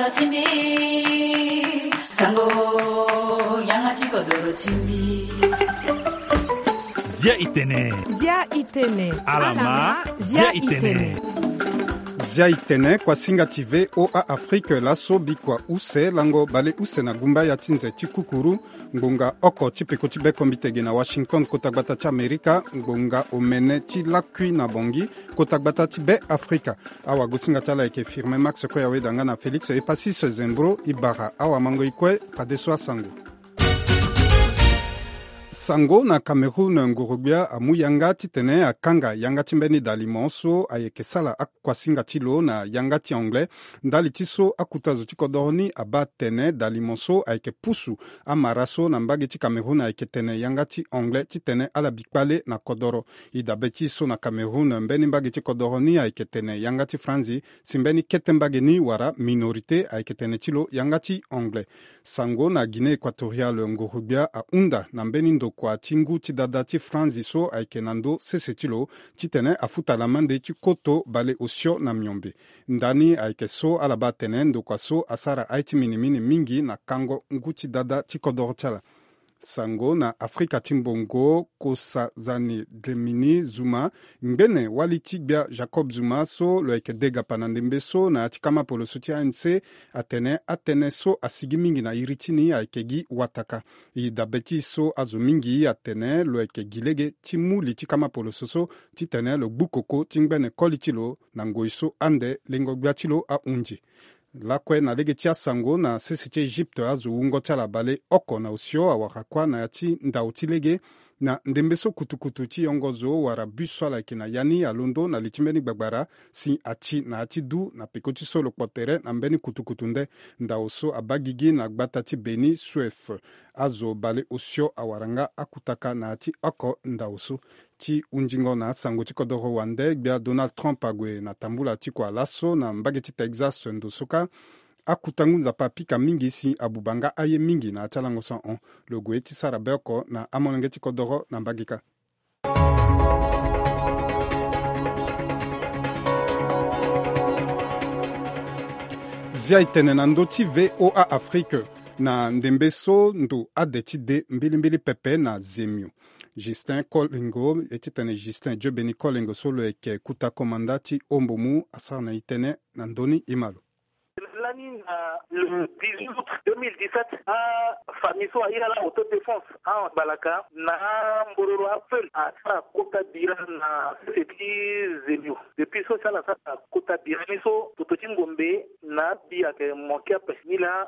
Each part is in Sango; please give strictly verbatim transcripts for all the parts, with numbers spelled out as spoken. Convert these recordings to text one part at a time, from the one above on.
Timbi, sango, yanga ti kodoro timbi. Zia itene. Zia itene. Alama, zia itene. Zia itene, kuasinga ti V O A Afrique, laso bikua use, lango bale use na gumba ya ti nze ti kukuru, ngbonga oko ti peko ti be kombitege na Washington, kota gbata ti Amerika, ngbonga omene ti lakui na Bangui, kota gbata ti be Afrika. Awagosinga ti ala ayeke Firmin Max Koyaweda nga na Félix Epasis Zembro e bara awamango e kue fadeso asango. Sango na Cameroun, nguru-gbia amu yanga titene akanga yanga ti mbeni dalimo so ayeke sala akuasinga ti lo na yanga ti anglais. Ndali ti so akuta zo ti kodoro ni abaa atene dalimo so ayeke pusu amara so na mbage ti Cameroun ayeke tene yanga ti anglais titene ala bi kpale na kodoro. E dabe ti so na Cameroun, mbeni mbage ti kodoro ni ayeke tene yanga ti franzi, si mbeni kete mbage ni wala minorité ayeke tene ti lo yanga ti anglais. Sango na Guinée Équatoriale, nguru-gbia ahunda na mbeni ndokua ti ngu ti dada ti franzi so ayeke na ndö sese ti lo titene afuta lamande ti koto bale osio na miombe. Ndani ayeke so ala baa atene ndokua so asara aye ti minimini mingi na kango ngu ti dada ti kodoro ti ala. Sango na Afrika ti mbongo, Nkosazana Dlamini Zuma, ngbene wali ti gbia Jacob Zuma so lo yeke degapa na ndembe so na ya ti kama poloso ti A N C, atene atënë so asigi mingi na iri ti ni ayeke gi wataka. E dabe ti so azo mingi atene lo yeke gi lege ti mu li ti kama poloso so titene lo gbu koko ti ngbene koli ti lo na ngoi so ande lengo-gbia ti lo ahunzi. Lakue na lege ti asango, na sese ti Egypte, azo wungo ti ala bale oko na osio awara kuâ na ya ti ndau ti lege. Na ndembe so kutukutu ti yongo zo wala bus so ala yeke na ya ni alondo na li ti mbeni gbagbara, si ati na ya ti du na peko ti so lo kpo tere na mbeni kutukutu nde. Ndau so abaa gigi na gbata ti Beni, Suef. Azo bale osio awara nga akutaka na ya ti oko ndau so. Ti hunzingo na asango ti kodoro wande, gbia Donald Trump ague na tambula ti kua laso na mbage ti Texas ndo so kâ. Akuta ngu nzapa apika mingi si abuba nga aye mingi na ya ti alango so ahon. Lo gue ti sara be oko na amolenge ti kodoro na mbage kâ. Zia itene na ndö ti V O A Afrique. Na ndembe so ndo ade ti de mbilimbili pepe na zemio. Justin Kolengo, e ti tene Justin Diobeni Kolengo so lo yeke kuta komanda ti ombomu asara na itene na ndö ni, e ma lo. Lani na le dix-huit août deux mille dix-sept, afamille so aye ala autodéfense angbalaka na ambororo afeu asara kota bira na sese ti zemio. Depuis so si ala sara kota bira ni so, toto ti ngombe na abi ayeke manke ape. Ni laa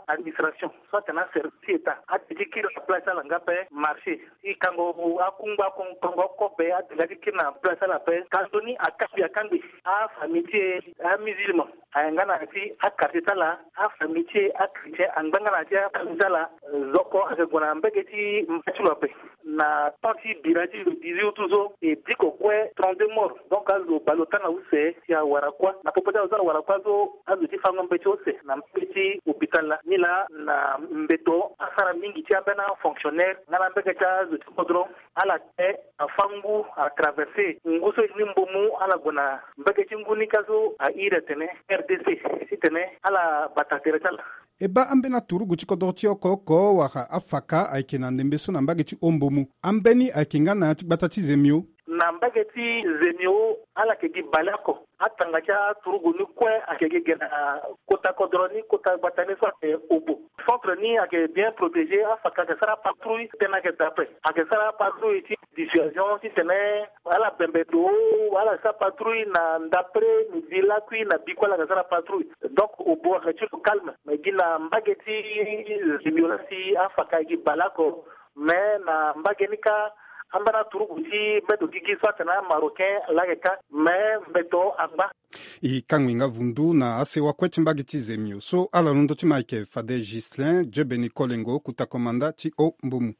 administration so atene aservice ti état ade ti kiri na place ti ala nga ape marché. Ti kango akungba, kon-, kango kobe ade nga ti kiri na place ti ala ape. Ka nzoni akangbi akangbi afamille ti e, amusulman ayeke nga na ya ti aquartier ti ala, afamille ti e achrétien angba nga na ya ti afamille ti ala. Zo oko ayeke gue na mbage ti mba ti lo ape. Na temps ti bira ti le dix-huit août so, e diko kue trente-deux morts. Donc azo baleota na use si awara kuâ. Na popo ti azo so awara kuâ so, azo ti fango mbeti use na mbage ti hôpital laa. Ni laa na mbeto asara mingi ti ambeni afonctionnaire nga na mbage ti azo ti kodro, ala te afa ngu atraverse ngu so e ni mbomu, ala gue na mbage ti ngu ni kâ so a iri atene R D C titene ala bata tere ti ala. E baa ambeni aturugu ti kodoro ti oko oko wala afaka ayeke na ndembe so na mbage ti ombomu. Ambeni ayeke nga na ya ti gbata ti zemio. Na mbage ti zemio, ala yeke gi baleoko. Atanga ti aturugu ni kue ayeke gi ge na kota kodro ni, kota gbata ni so ayeke Obo. Centre ni ayeke bien protégé, afaka ayeke sara patrouille, tënë ayeke daa ape. Ayeke sara patrouille ti dissuasion titene ala bembe do, ala sara patrouille na ndapre midi lakui na bikua ala yeke sara patrouille. Donc Obo ayeke ti lo calme. Mais gi na mbage ti zemio laa si afaka gi baleoko. Mais na mbage ni kâ, ambeni aturugu ti mbeto gigi so atene amarocain laa ayeke kâ, mais mbeto angba. E kangbi nga vundu na asewa kue ti mbage ti zemio so ala londo ti ma ayeke fade Ghislain Diobeni Kolengo, kuta komanda ti ombomu.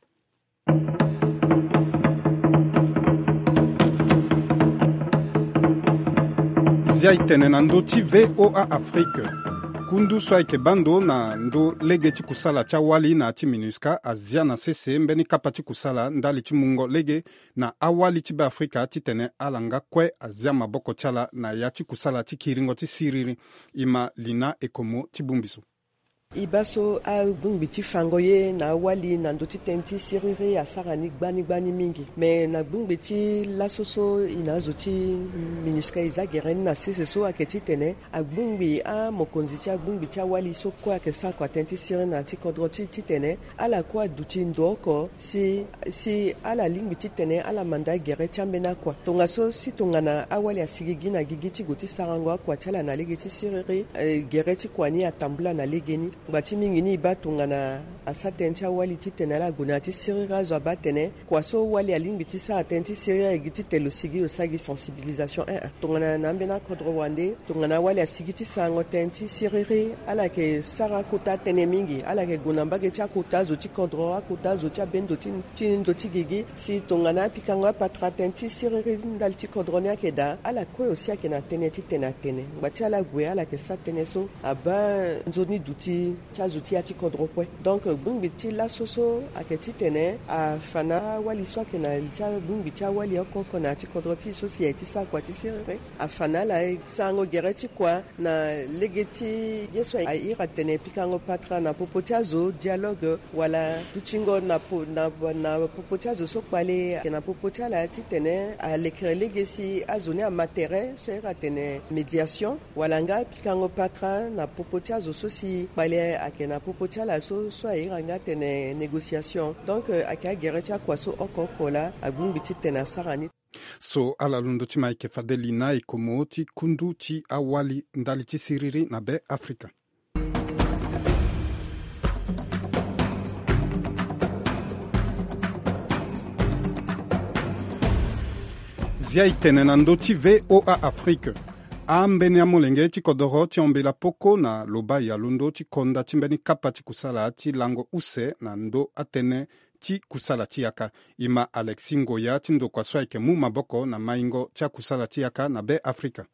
Zia itene na ndö ti V O A Afrique. Kundu so ayeke baa ndo na ndo lege ti kusala ti awali na ya ti minusca azia na sese mbeni kapa ti kusala ndali ti mungo lege na awali ti Beafrika titene ala nga kue azia maboko ti ala na ya ti kusala ti kiringo ti siriri. E ma Lina Ekomo ti bongbi so. E baa so agbongbi ti fango ye na awali na ndö ti tënë ti siriri asara ni gbani gbani mingi. Me na gbongbi ti laso so e na azo ti minusca e za gere ni na sese so ayeke titene agbongbi amokonzi ti agbongbi ti awali so kue ayeke sara kua tënë ti siriri na ya ti kodro ti titene ala kue aduti ndo oko si si ala lingbi titene ala manda gere ti ambeni akua. Tongaso si tongana awali asigigi na gigi ti gue ti sarango akua ti ala na lege ti siriri, eh, gere ti kua ni atambula na legeni. Ngba ti mingi ni e baa tongana asara tënë ti awali titene ala gue na ya ti siriri azo abaa atene kua so wali alingbi ti sara tënë ti siriri aye gi titene lo sigi lo sara gi sensibilisation. Eh, eh. Tongana na ambeni akodro wande tongana awali asigi ti sarango tënë ti siriri ala yeke sara akota tënë mingi, ala yeke gue na mbage ti akota azo ti kodro, akota azo ti abendo ti, ti ndo ti gigi. Si tongana apikango apatara tënë ti siriri ndali ti kodro ni ayeke daa, ala kue aussi ayeke na tënë titene atene ngba ti ala gue ala yeke sara tënë so abaa nzoni duti ti azo ti ya ti kodro kue. Donc gbongbi ti laso so ayeke titene afa na awali so ayeke na li ti agbongbi ti awali oko oko na ya ti kodro ti e so si aye ti sara kua ti siriri, afa na ala sarango gere ti kua na lege ti ye so a iri atene pikango patara na popo ti azo, dialogue, wala dutingo na po, na, na popo ti azo so kpale ayeke na popo ti ala titene alekere lege si azo ni ama tere so a iri atene médiation, wala nga pikango patara na popo ti azo so si kpale ayeke na popo ti ala so, so a iri nga atene négociation. Donc ayeke agere ti akua so oko oko laa agbongbi titene asara ni. So ala londo ti ma ayeke fade Lina Ekomo ti kundu ti awali ndali ti siriri na Beafrika. Zia e tene na ndö ti V O A Afrique. Ambeni amolenge ti kodoro ti Ombela Poko na Lobaye alondo ti konda ti mbeni kapa ti kusala ti lango use na ndö atënë ti kusala ti yaka. E ma Alexis Ngoya ti ndokua so ayeke mu maboko na maingo ti akusala ti yaka na Beafrika.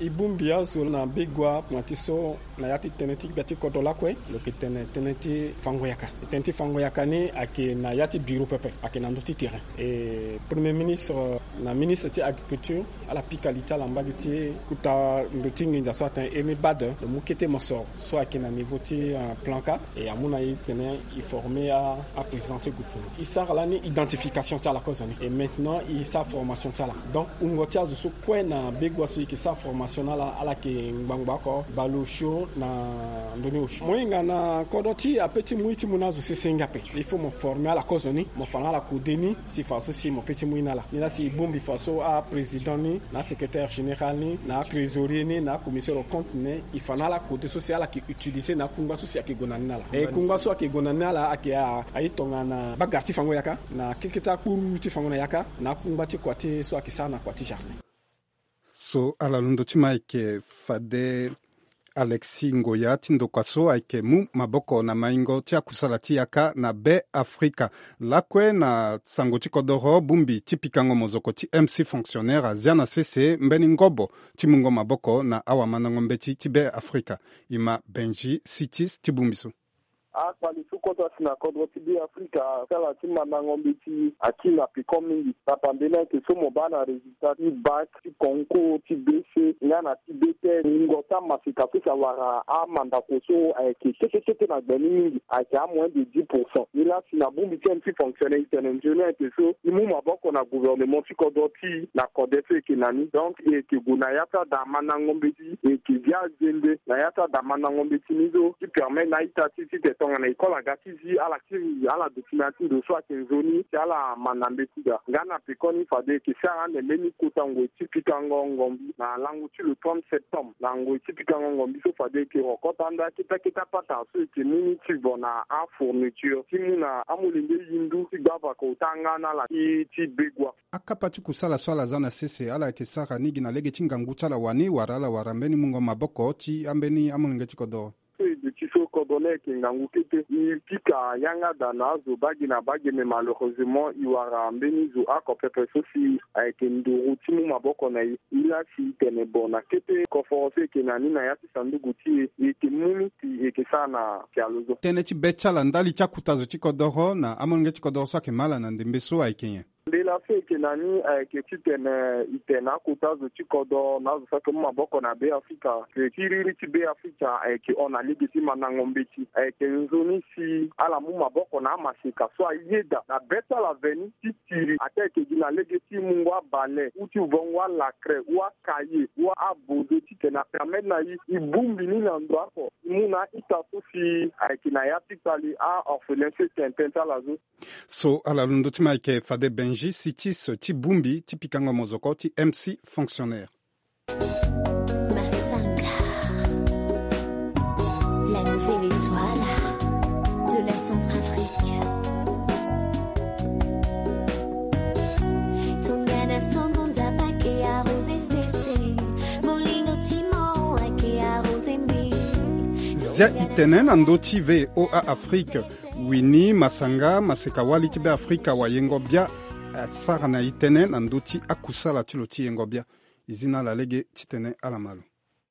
E bongbi azo na begua kpoma ti so na ya ti tënë ti gbia ti kodro lakue lo yeke tene tënë ti fango yaka. Tënë ti fango yaka ni ayeke na ya ti biro pepe, ayeke na ndö ti terrain. E premier ministre na ministre ti agriculture ala pika li ti ala mbage ti kota ndo ti nginza so atene iri ni bade, lo mu kete mosoro so ayeke na niveau ti, eh, plan ka. E amu na e tene e forme a, aprésident ti gouvernement. E sara lani identification ti ala kozoni. E maintenant e sara formation ti ala. Donc wungo ti azo so kue na begua so e yeke sara formation na ala, ala yeke ngbangba oko bale osio na ndoni osio. Mo hinga na kodro ti e ape ti mu ye ti mu na azo sese nga ape. Il faut mo forme ala kozoni, mo fa na ala kode ni, si fa so si mo pe ti mu ye na ala. Ni laa si e bongbi fa so aprésident ni, na asecrétaire général ni, na atrésorier ni, na acommissaire au compte ni, e fa na ala kode so si ala yeke utiliser na akungba so si ayeke gue na ni na ala. E kungba so ayeke gue na ni na ala ayeke a, aye tongana bagara ti fango yaka, na kekete akpuru ti fango na yaka, na akungba ti kua ti so ayeke sara na kua ti jardin. So ala londo ti ma ayeke fade Alexis Ngoya ti ndokua so ayeke mu maboko na maingo ti akusala ti yaka na Beafrika. Lakue na sango ti kodoro, bongbi ti pikango mozoko ti M C fonctionnaire azia na sese mbeni ngobo ti mungo maboko na awamandango mbeti ti Beafrika. E ma Benji Sitis ti bongbi so. Akpali so kota si na kodro ti Beafrika, ti ala ti mandango mbeti akiri na peko mingi. Tapambeni ayeke so mo baa na résultat ti bac, ti concours ti B C nga na ti B T S. Wungo ti amaseka so si awara amandako so ayeke kete kete na gbe ni mingi, ayeke amoyen de dix pour cent. Nilaa si na bongbi ti M C fonctionnaire e tene nzoni ayeke so e mu maboko na gouvernement ti kodro ti e na kode so e yeke na ni. Donc e yeke gue na ya ti ada mandango mbeti, e yeke gi azende na ya ti ada mandango mbeti ni so ti permettre na a-ita ti e titene tongana école aga ti zi, ala kiri ala document ti ndo so ayeke nzoni si ala manda mbeti daa. Nga na pekoni fade e yeke sara ande mbeni kota ngoi ti pikango ngombi na lango ti le trente septembre. Na ngoi ti pikango ngombi so fade e yeke rokota ande akete akete apatara so e yeke mu ni ti vo na afourniture ti mu na amolenge yindu ti gbavaka ota nga na ala ti, ti begua. Akapa ti kusala so ala za na sese ala yeke sara ni gi na lege ti ngangu ti ala wani wala ala wara mbeni mungo maboko ti ambeni amolenge ti kodoro? So e duti so Gonne ayeke ngangu kete. E pika yanga daa na azo bage na bage, mais malheureusement e wara mbeni zo oko pepe so si ayeke nduru ti mu maboko na e. E laa si e tene bon na kete koforo so e yeke na ni na ya ti sanduku ti e, e yeke mu ni si e yeke sara na pialo so. Tënë ti be ti ala ndali ti akuta zo ti kodoro na amolenge ti kodoro so ayeke ma ala na ndembe so ayeke nyen? Mbela so e yeke na ni ayeke titene e tene akuta zo ti kodro na azo so ayeke mu maboko na Be Afrika. Ke ti riri ti Be Afrika ayeke hon na lege ti mandango mbeti. Ayeke nzoni si ala mu maboko na amaseka so ayeda na be ti ala veni ti tiri. Ataa ayeke gi na lege ti mungo abale ou ti vongo alakre ou akaye ou abozo titene apermettre na e e bongbi ni na ndo oko. E mu na a-ita so si ayeke na ya ti kpali a-orphelin so e tene tënë ti ala so. So ala londo ti ma ayeke fade Benji Sitis ti bongbi ti pikango mozoko ti M C fonctionnaire. Masanga, la nouvelle étoile de la Centrafrique. Tongana songo nzapa ke arrosé sese, molingo ti mo ake arrosé mbi. Zia e tene na ndö ti V O A Afrique. Winnie Masanga, maseka wali ti Be Afrika, wayengo bia, asara na e tënë na ndö ti akusala ti lo ti yengo bia. E zi na ala lege titene ala ma lo.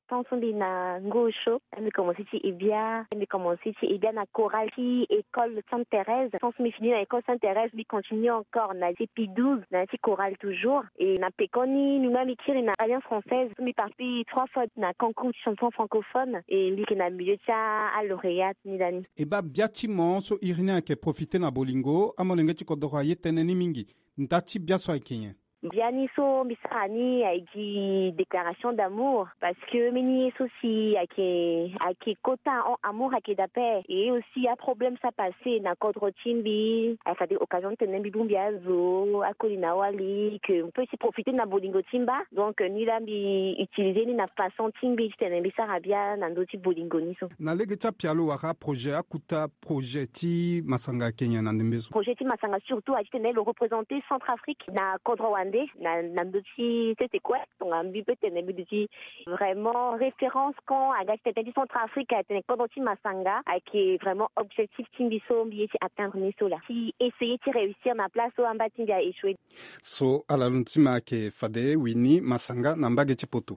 Tant so mbi na ngosho, mbi commencé ti e bia, mbi commencé ti e bia na chorale ti école Sainte Thérèse. Tant so mbi fini na école Sainte Thérèse, mbi continue encore na ti P douze, na ti chorale toujours. Et na pekoni, mbi ma mbi kiri na Alliance Française, mbi participe trois fois na concours ti chanson francophone, et mbi yeke na milieu ti a, a lauréat ni lani. E baa bia ti mo so iri ni ayeke profité na bolingo, amolenge ti kodoro aye tënë ni mingi. Nda ti bia so ayeke nyen? Biani so mbi sara ni ayeke gi déclaration d'amour, parce que mbeni ye so si ayeke, ayeke kota ahon, amour ayeke dape. Et aussi aproblème so apassé na kodro ti mbi, ayeke fade occasion ti tene mbi bongbi azo, akoli na wali, que mbi peut aussi profiter na bolingo ti mba. Donc ni laa mbi utiliser ni na façon ti mbi titene mbi sara bia na ndö ti bolingo ni so. Na lege ti apialo wala aprojet, akuta projet ti Masanga ayeke nyen na ndembe so? Projet ti Masanga surtout ayeke titene lo représenter Centrafrique na kodro wande, na, na ndö ti sese kue. Tongana mbi peut tene mbi duti vraiment référence quand aga ti tene ti Centrafrique, atene kodro ti Masanga ayeke vraiment objectif ti mbi so mbi ye ti atteindre ni so laa. Ti essayer ti réussir na place so amba ti mbi a échoué. So ala londo ti ma ayeke fade Winnie Masanga na mbage ti poto.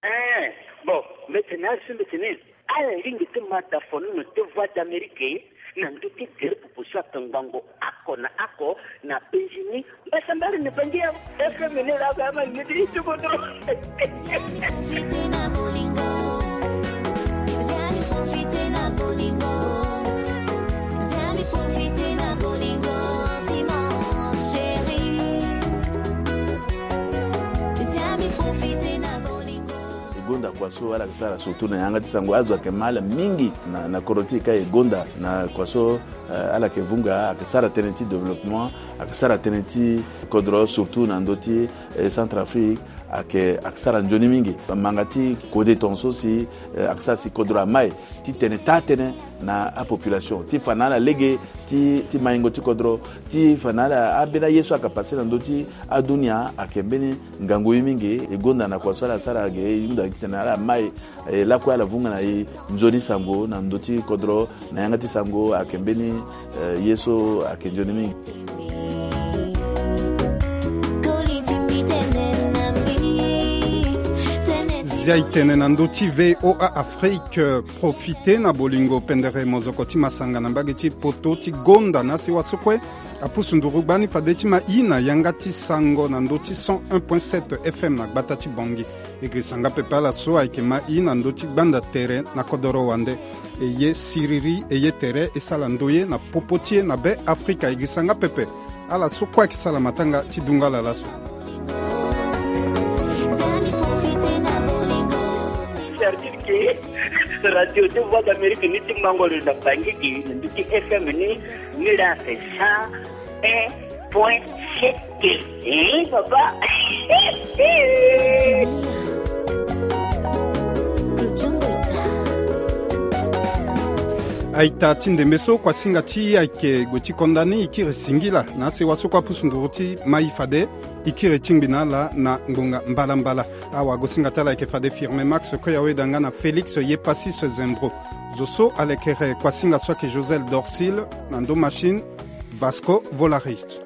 Eh, bon, mbi tene azo so mbi tene ala ringi ti ma dafono na te Voix d'Amérique na ndö ti gere popo so ayeke ngbongo oko na oko na penzi ni. Mbasambala na bangi ya F M ni laa, ba ma ni ti kodro. E gonda kua so ala yeke sara surtout na yanga ti sango, azo ayeke ma ala mingi na, na kodro ti e ka e gonda na kua so, eh, ala yeke vunga, ayeke sara tënë ti développement, ayeke sara tënë ti kodro surtout na ndö ti, eh, Centrafrique, ayeke, ayeke sara nzoni mingi. Manga ti kode tongaso si, eh, ayeke sara si kodro amai ti tene taa tënë na apopulation ti fa na ala lege ti, ti maingo ti kodro, ti fa na ala ambeni aye so ayeke pase na ndö ti adunia ayeke mbeni ngangu ye mingi. E gonda na kua so ala sara ge, e hunda titene ala mai, e lakue ala vunga na e nzoni sango na ndö ti kodro na yanga ti sango ayeke mbeni, eh, ye so ayeke nzoni mingi. Zia e tene na ndö ti V O A Afrique, profite na bolingo pendere mozoko ti Masanga na mbage ti poto ti gonda na sewa so kue apusu nduru gbani fade ti ma i na yanga ti sango na ndö ti cent un point sept F M na gbata ti Bangui. E girisa nga pepe ala so ayeke ma i na ndö ti gbanda tere na kodoro wande. E ye siriri, e ye tere, e sala ndoye na popo ti e na Be Afrika. E girisa nga pepe ala so kue ayeke sala matanga ti dunga ala laso. Certitude que Radio ti Voix d'Amérique ni ti mango lo na Bangui gi na ndö ti F M ni, ni la c'est cent un point sept. Eh, papa. Aita ti ndembe so, kuasinga ti e ayeke gue ti konda ni, e kiri singila na asewa so kue apusu nduru ti ma i fade e kiri tingbi na ala na ngbonga mbalambala. Awagosinga ti ala ayeke fade Firmin Max Koyaweda nga na Félix Yepasis Zembro. Zo so alekere kuasinga so ayeke Josel Dorsil. Na ndo machine, Vasco Volarich.